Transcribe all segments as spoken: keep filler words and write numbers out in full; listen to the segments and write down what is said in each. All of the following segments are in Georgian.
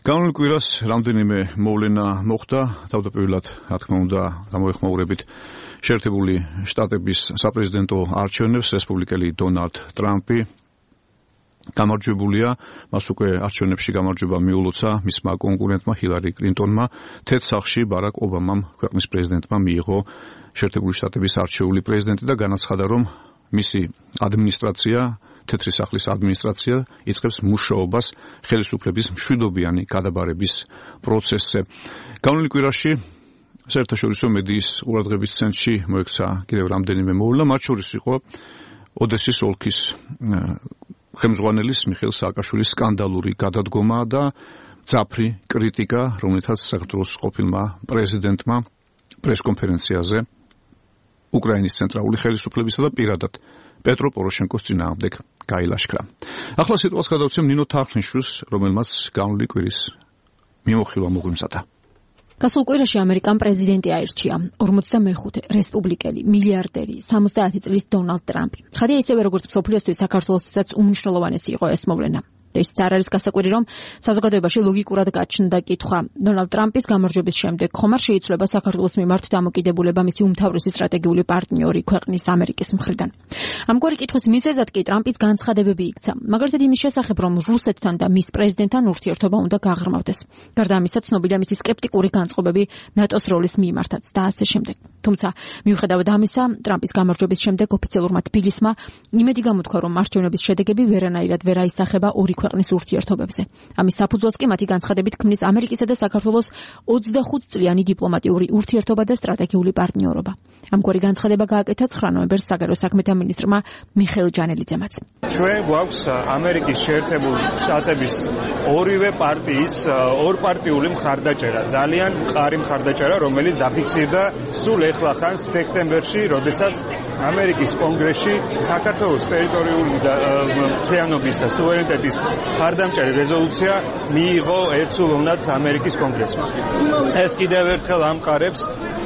განვლილ კვირას რამდენიმე მოვლენა მოხდა, თავდაპირველად, რა თქმა უნდა, გამოეხმაურებით შეერთებული შტატების საპრეზიდენტო არჩევნებს რესპუბლიკელი დონალდ ტრამპი გამარჯვებულია, მას უკვე არჩევნებში გამარჯვება მიულოცა მისმა კონკურენტმა ჰილარი კლინტონმა, თეთრ სახლში ბარაკ ობამამ, ქვეყნის პრეზიდენტმა მიიღო შეერთებული შტატების არჩეული პრეზიდენტი და განაცხადა, რომ მისი ადმინისტრაცია თეთრი სახლის ადმინისტრაცია იწყებს მუშაობას ხელისუფლების მშვიდობიანი გადაბარების პროცესზე. განვლილ კვირაში საერთაშორისო მედიის ყურადღების ცენტრში მოექცა კიდევ რამდენიმე მოვლენა, მათ შორის იყო ოდესის ოლქის ხელმძღვანელის მიხეილ სააკაშვილის სკანდალური გადადგომა და მძაფრი კრიტიკა, რომელთაც საქართველოს ყოფილმა პრეზიდენტმა პრესკონფერენციაზე უკრაინის ცენტრალური ხელისუფლებისა და პირადად პეტრო პოროშენკოს წინააღმდეგ გაილაშქრა. ახლა სიტყვას გადავცემ ნინო თარხნიშვილს, რომელმაც განვლილი კვირის მიმოხილვა მოგვიმზადა. გასულ კვირაში ამერიკამ პრეზიდენტი აირჩია, ორმოცდამეხუთე რესპუბლიკელი, მილიარდერი, სამოცდაათი წლის დონალდ ტრამპი. ცხადია ისევე როგორც მსოფლიოსთვის, საქართველოსთვისაც უმნიშვნელოვანესი იყო ეს მოვლენა. ისიც არ არის გასაკვირი, რომ საზოგადოებაში ლოგიკურად გაჩნდა კითხვა. დონალდ ტრამპის გამარჯვების შემდეგ ხომ არ შეიცვლება საქართველოს მიმართ დამოკიდებულება მისი უმთავრესი სტრატეგიული პარტნიორი ქვეყნის ამერიკის მხრიდან. ამგვარი კითხვის მიზეზად კი ტრამპის განცხადებები იქცა, მაგალითად იმის შესახებ, რომ რუსეთთან და მის პრეზიდენტთან ურთიერთობა უნდა გაღრმავდეს. გარდა ამისა, ცნობილია მისი სკეპტიკური განწყობები ნატოს როლის მიმართაც და ასე შემდეგ. თუმცა, მიუხედავად ამისა, ტრამპის გამარჯვების შემდეგ ოფიციალურმა თბილისმა იმედი გამოთქვა, რომ არჩევნების შედეგები ვერანაირად ვერ აისახება ორი ქვეყნის ურთიერთობებზე. ამის საფუძველს კი მათი განცხადებით ქმნის ამერიკისა და საქართველოს ოცდახუთ წლიანი დიპლომატიური ურთიერთობა და სტრატეგიული პარტნიორობა. ამგვარი განცხადება გააკეთა ცხრა ნოემბერს საგარეო საქმეთა მინისტრმა მიხეილ ჯანელიძემაც. ჩვენ გვაქვს ამერიკის შეერთებული შტატების ორივე პარტიის ორპარტიული მხარდაჭერა, ძალიან მყარი მხარდაჭერა, რომელიც დაფიქსირდა სულ ეხლა ხან სექტემბერში, როდესაც ამერიკის კონგრესში საქართველოს ტერიტორიული მთლიანობის და სუვერენიტეტის მხარდამჭერი რეზოლუცია მიიღო ერთსულოვნად ამერიკის კონგრესმა. ეს კიდევ ერთხელ ამყარებს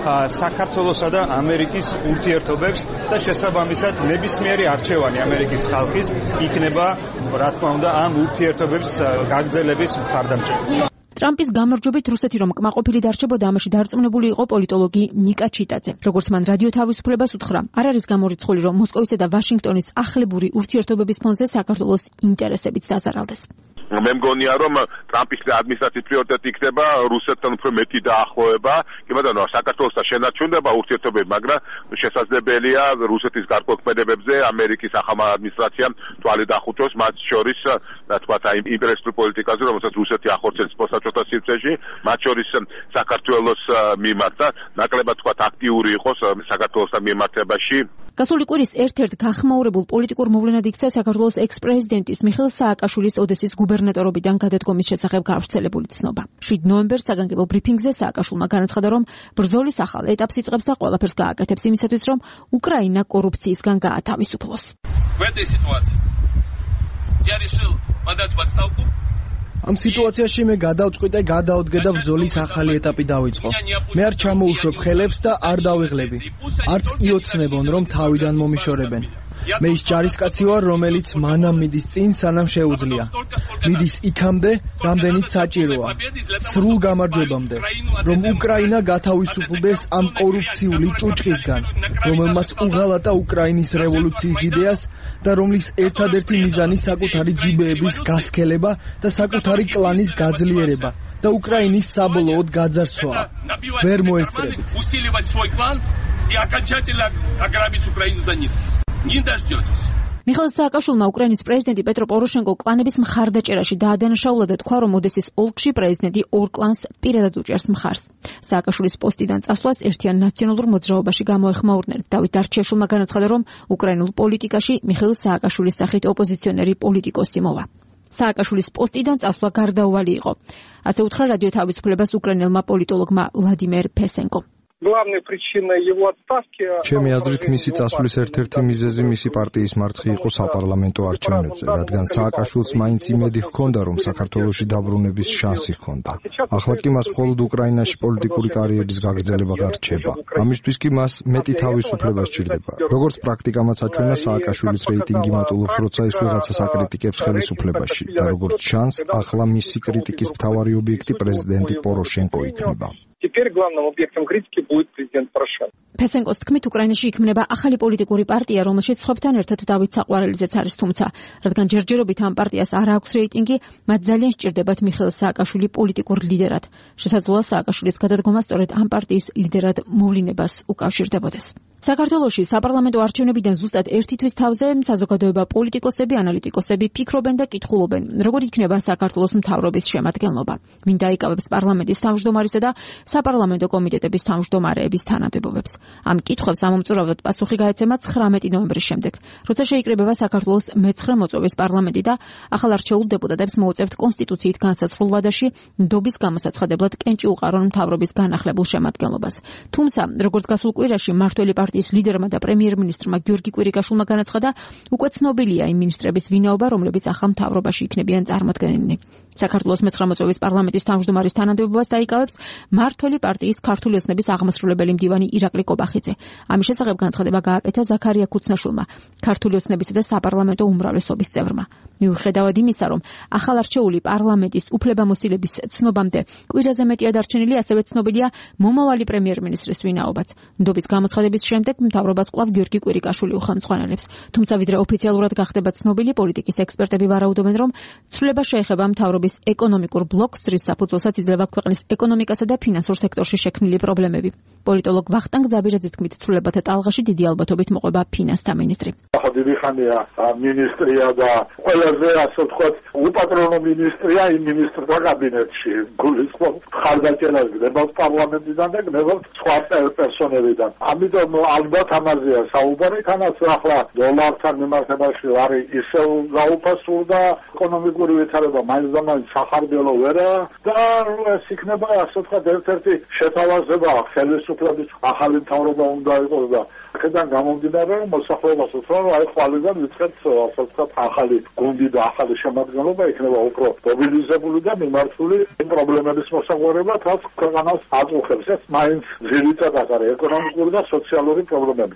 საქართველოსა და ამერიკის ურთიერთობებს და შესაბამისად ნებისმიერი არჩევანი ამერიკის ხალხის იქნება, რა თქმა უნდა, ამ ურთიერთობების გაგრძელების მხარდამჭერი. ტრამპის გამარჯვებით რუსეთი რომ კმაყოფილი დარჩებოდა, ამაში დარწმუნებული იყო პოლიტოლოგი ნიკა ჩიტაძე. როგორც მან რადიო თავისუფლებას უთხრა, არ არის გამორიცხული, რომ მოსკოვისა და ვაშინგტონის ახლებური ურთიერთობების ფონზე საქართველოს ინტერესებიც დაზარალდეს. მე მგონია, რომ ტრამპის ადმინისტრაციის პრიორიტეტი იქნება რუსეთთან უფრო მეტი დაახლოება, კი ბატონო, საქართველოსთან შენარჩუნება ურთიერთობები, მაგრამ შესაძლებელია რუსეთის გარკვეულ ამერიკის ახალმა ადმინისტრაციამ თვალი დახუჭოს, მათ შორის, რა თქვა, იმპერიალისტურ პოლიტიკაზე, რომელსაც რუსეთი ახორციელებს სპოსტაჭოთა სივრცეში, მათ შორის საქართველოს მიმართ და ნაკლებად თქვა აქტიური იყოს საქართველოსთან მიმართებაში. გასული კვირის ერთ-ერთ გახმაურებულ პოლიტიკურ მოვლენად იქცა საქართველოს ექს-პრეზიდენტის მიხეილ სააკაშვილის ოდესის გუბერნატორობიდან გადადგომის შესახებ გავრცელებული ცნობა. შვიდ ნოემბერს საგანგებო ბრიფინგზე სააკაშვილმა განაცხადა, რომ ბრძოლის ახალ ეტაპს იწყებს და ყველაფერს გააკეთებს იმისათვის, რომ უკრაინა კორუფციისგან გაათავისუფლოს. ამ სიტუაციაში მე გადავწყვიტე გადავდგე და ბრძოლის ახალი ეტაპი დავიწყო. მე არ ჩამოუშვებ ხელებს და არ დავიღლები. არც იოცნებონ, რომ თავიდან მომიშორებენ. მე ის ჯარისკაცი ვარ, რომელიც მანამ მიდის წინ, სანამ შეუძლია. მიდის იქამდე, რამდენიც საჭიროა. სრულ გამარჯვებამდე, რომ უკრაინა გათავისუფლდეს ამ კორუფციული ჭუჭყისგან, რომელმაც უღალატა უკრაინის რევოლუციის იდეას და რომლის ერთადერთი მიზანი საკუთარი ჯიბეების გასქელება და საკუთარი კლანის გაძლიერება და უკრაინის საბოლოოდ გაძარცვაა. ვერ მოესწრებით. მიხეილ სააკაშვილმა უკრაინის პრეზიდენტი პეტრო პოროშენკო კლანების მხარდაჭერაში დაადანაშაულა და თქვა, რომ ოდესის ოლქში პრეზიდენტი ორ კლანს პირადად უჭერს მხარს. სააკაშვილის პოსტიდან წასვლას ერთიან ნაციონალურ მოძრაობაში გამოეხმაურნენ. დავით დარჩიაშვილმა განაცხადა, რომ უკრაინულ პოლიტიკაში მიხეილ სააკაშვილის სახით ოპოზიციონერი პოლიტიკოსი მოვა. სააკაშვილის პოსტიდან წასვლა გარდაუვალი იყო. ასე უთხრა რადიო თავისუფლებას უკრაინელმა პოლიტოლოგმა ვლადიმერ ფესენკომ. Главной причиной его отставки ჩემი აზრით მისი წასვლის ერთ-ერთი მიზეზი მისი პარტიის მარცხი იყო საპარლამენტო არჩევნებზე, რადგან სააკაშვილს მაინც იმედი ჰქონდა, რომ საქართველოში დაბრუნების შანსი ჰქონდა. ახლა კი მას მხოლოდ უკრაინაში პოლიტიკური კარიერის გაგრძელება გარჩება. ამისთვის კი მას მეტი თავისუფლება სჭირდება. როგორც პრაქტიკამაც აჩვენა, სააკაშვილის რეიტინგი მატულობს, როცა ის ვიღაცას აკრიტიკებს ხელისუფლებაში და როგორც ჩანს, ახლა მისი კრიტიკის მთავარი ობიექტი პრეზიდენტი პოროშენკო იქნება. Теперь главным объектом критики будет президент Порошенко. ფესენკოს თქმით, უკრაინაში იქმნება ახალი პოლიტიკური პარტია, რომელშიც სხვებთან ერთად დავით საყვარელიძეც არის, თუმცა, რადგან ჯერჯერობით ამ პარტიას არ აქვს რეიტინგი, მათ ძალიან სჭირდებათ მიხეილ სააკაშვილი პოლიტიკურ ლიდერად. შესაძლოა სააკაშვილის გადადგომა სწორედ ამ პარტიის ლიდერად მოვლინებას უკავშირდებოდეს. საქართველოში საპარლამენტო არჩევნებიდან ზუსტად ერთი თვის თავზე საზოგადოება, პოლიტიკოსები, ანალიტიკოსები ფიქრობენ და კითხულობენ, როგორ იქნება საქართველოს მთავრობის შემადგენლობა, ვინ დაიკავებს პარლამენტის თავმჯდომარისა და საპარლამენტო კომიტეტების თავმჯდომარეების თანამდებობებს. ამ კითხვებს ამომწურავად პასუხი გაეცემა ცხრამეტი ნოემბრის შემდეგ, როცა შეიკრიბება საქართველოს მეცხრე მოწვევის პარლამენტი და ახალ არჩეულ დეპუტატებს მოუწევთ კონსტიტუციით განსაზღვრულ ვადაში ნდობის გამოსაცხადებლად კენჭი უყარონ მთავრობის განახლებულ შემადგენლობას. თუმცა, როგორც გასულ კვირაში მართველი პარტიის ლიდერმა და პრემიერ-მინისტრმა გიორგი კვირიკაშვილმა განაცხადა, უკვე ცნობილია იმ მინისტრების ვინაობა, რომლებიც ახალ მთავრობაში იქნებიან წარმოდგენილნი. საქართველოს მეცხრე მოწვევის პარლამენტის თავმჯდომარის თანამდებობას დაიკავებს მართველი პარტიის ქართული ოცნების აღმასრულებელი მდივანი ირაკლი კობახიძე. ამის შესახებ განცხადება გააკეთა ზაქარია ქუცნაშვილმა, ქართული ოცნებისა და საპარლამენტო უმრავლესობის წევრმა. მიუხედავად იმისა, რომ ახალ არჩეული პარლამენტის უფლებამოსილების ცნობამდე კვირაზე მეტია დარჩენილი, ასევე ცნობილია მომავალი პრემიერ-მინისტრის ვინაობაც. ნდობის გამოცხადების შემდეგ მთავრობას კვლავ გიორგი კვირიკაშვილი უხელმძღვანელებს. თუმცა ვიდრე ოფიციალურად გახდება ცნობილი, პოლიტიკის ექსპერტები ვარაუდობენ, რომ ცვლილება შეეხება მთავრობის ეკონომიკურ ბლოკს, რის საფუძველსაც იძლევა ქვეყნის ეკონომიკასა და ფინანსურ სექტორში შექმნილი პრობლემები. პოლიტოლოგ ვახტანგ ზაბირაძის თქმით, ცვლილებათა ტალღაში დიდი ალბათობით მოყვება ფინანსთა მინისტრი. ახლა დიდი ხანია მინისტრია და ყველაზე ასე ვთქვათ, უპატრონო მინისტრია იმ მინისტრთა კაბინეტში. გულისხმობ ხარდაჭერას გნებავს პარლამენტიდან და გნებავს სხვა პერსონებიდან. ამიტომ ალბათ ამაზეა საუბარი, თანაც ახლა დოლართან მიმართებაში არის ისევ გაუფასურდა ეკონომიკური ვითარება მაინც და მაინც სახარბიელო ვერა და ეს იქნება ასე ვთქვათ ერთ-ერთი შეთავაზება ხელისუფლების ახალი მთავრობა უნდა იყოს და აქედან გამომდინარე რომ მოსახლეობას უცნაურ აი ხვალიდან ვიწყებთ ასე ვთქვათ ახალი გუნდი და ახალი შემადგენლობა იქნება უფრო მობილიზებული და მიმართული იმ პრობლემების მოსაგვარებლად რაც ქვეყანას აწუხებს ეს მაინც ძირითადად არის ეკონომიკური და სოციალური პრობლემები.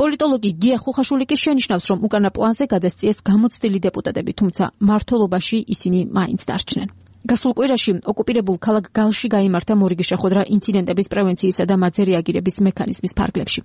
პოლიტოლოგი გია ხუხაშვილი კი შენიშნავს, რომ უკანა პლანზე გადასწიეს გამოცდილი დეპუტატები, თუმცა მმართველობაში ისინი მაინც დარჩნენ. გასულ კვირაში ოკუპირებულ ქალაქ გალში გაიმართა მორიგი შეხვედრა ინციდენტების პრევენციისა და მათზე რეაგირების მექანიზმის ფარგლებში.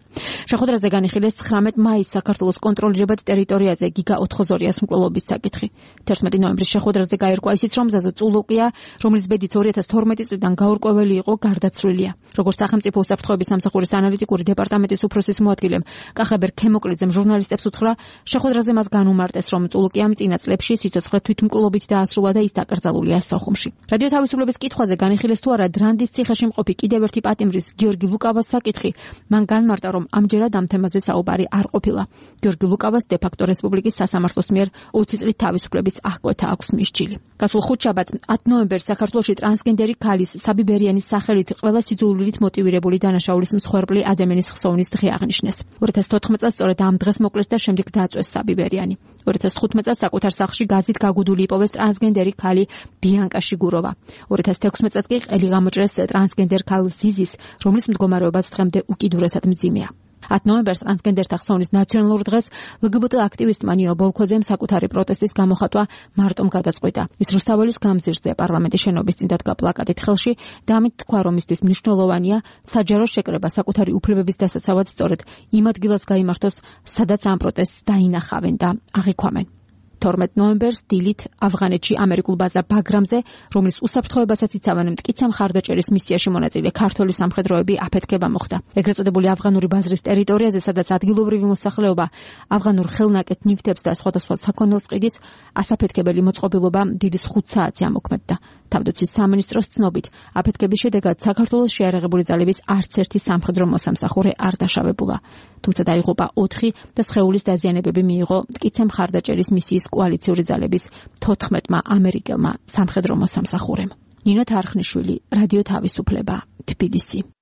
შეხვედრაზე განიხილეს ცხრამეტ მაისს საქართველოს კონტროლირებად ტერიტორიაზე გიგა ოთხგზორიას მკვლელობის საკითხი. თერთმეტი ნოემბრის შეხვედრაზე გაირკვა ისიც, რომ ზაზა წულუკია, რომლის ბედით ორი ათას თორმეტი წლიდან გაურკვეველი იყო, გარდაცვლილია. როგორც სახელმწიფო უსაფრთხოების სამსახურის ანალიტიკური დეპარტამენტის უფროსის მოადგილემ კახაბერ ქემოკლიძემ ჟურნალისტებს უთხრა, შეხვედრაზე მას განუმარტეს, რომ წულუკიამ წინა წლებში სიცოცხლე თვითმკვლელობით დაასრულა და ის დაკრძალულია სოხუმში. რადიო თავისუფლების კითხვაზე განიხილეს თუ არა დრანდის ციხეში მყოფი კიდევ ერთი პატიმრის გიორგი ლუკავას საკითხი, მან განმარტა, რომ ამჯერად ამ თემაზე საუბარი არ ყოფილა. გიორგი ლუკავას დე-ფაქტო რესპუბლიკის სასამართლოს მიერ ოცი წლით თავისუფლების აღკვეთა აქვს მისჯილი. გასულ ხუთშაბათს ათი ნოემბერს საქართველოში ტრანსგენდერი ქალის საბი ბერიანის სახელით ყველა სიძულვილით მოტივირებული დანაშაულის მსხვერპლი ადამიანის ხსოვნის დღე აღნიშნეს. ორი ათას თოთხმეტ წელს სწორედ ამ დღეს მოკლეს და შემდეგ დააწვეს საბი ბერიანი. ორი ათას თხუთმეტ წელს საკუთარ სახლში გაზით გაგუდული იპოვეს ტრანსგენდერი ქალი ბიანკა შიგუროვა. ორი ათას თექვსმეტ წელს კი ყელი გამოჭრეს ტრანსგენდერ ქალ ზიზის, რომლის მდგომარეობაც დღემდე უკიდურესად მძიმეა. ათი ნოემბერს ტრანსგენდერთა ხსოვნის ნაციონალურ დღეს ლგბტ აქტივისტმა ნინო ბოლქვაძემ საკუთარი პროტესტის გამოხატვა მარტომ გადაწყვიტა. ის რუსთაველის გამზირზე პარლამენტის შენობის წინ დადგა პლაკატით ხელში და ამით თქვა, რომ მისთვის მნიშვნელოვანია საჯარო შეკრება საკუთარი უფლებების დასაცავად სწორედ იმ ადგილას გაიმართოს, სადაც ამ პროტესტს დაინახავენ და აღიქვამენ. თორმეტი ნოემბერს დილით ავღანეთში ამერიკულ ბაზა ბაგრამზე, რომლის უსაფრთხოებასაც იცავენ მტკიცე მხარდაჭერის მისიაში მონაწილე ქართველი სამხედროები აფეთქება მოხდა. ეგრეთ წოდებული ავღანური ბაზრის ტერიტორიაზე, სადაც ადგილობრივი მოსახლეობა ავღანურ ხელნაკეთ ნივთებს და სხვადასხვა საქონელს ყიდის, ასაფეთქებელი მოწყობილობა დილის ხუთ საათზე ამოქმედდა. თავდაცვის სამინისტროს ცნობით, აფეთქების შედეგად საქართველოს შეიარაღებული ძალების არც ერთი სამხედრო მოსამსახურე არ დაშავებულა. თუმცა დაიღუპა ოთხი და სხეულის დაზიანებები მიიღო მტკიცე მხარდაჭერის მისიის კოალიციური ძალების თოთხმეტმა ამერიკელმა სამხედრო მოსამსახურემ. ნინო თარხნიშვილი, რადიო თავისუფლება, თბილისი.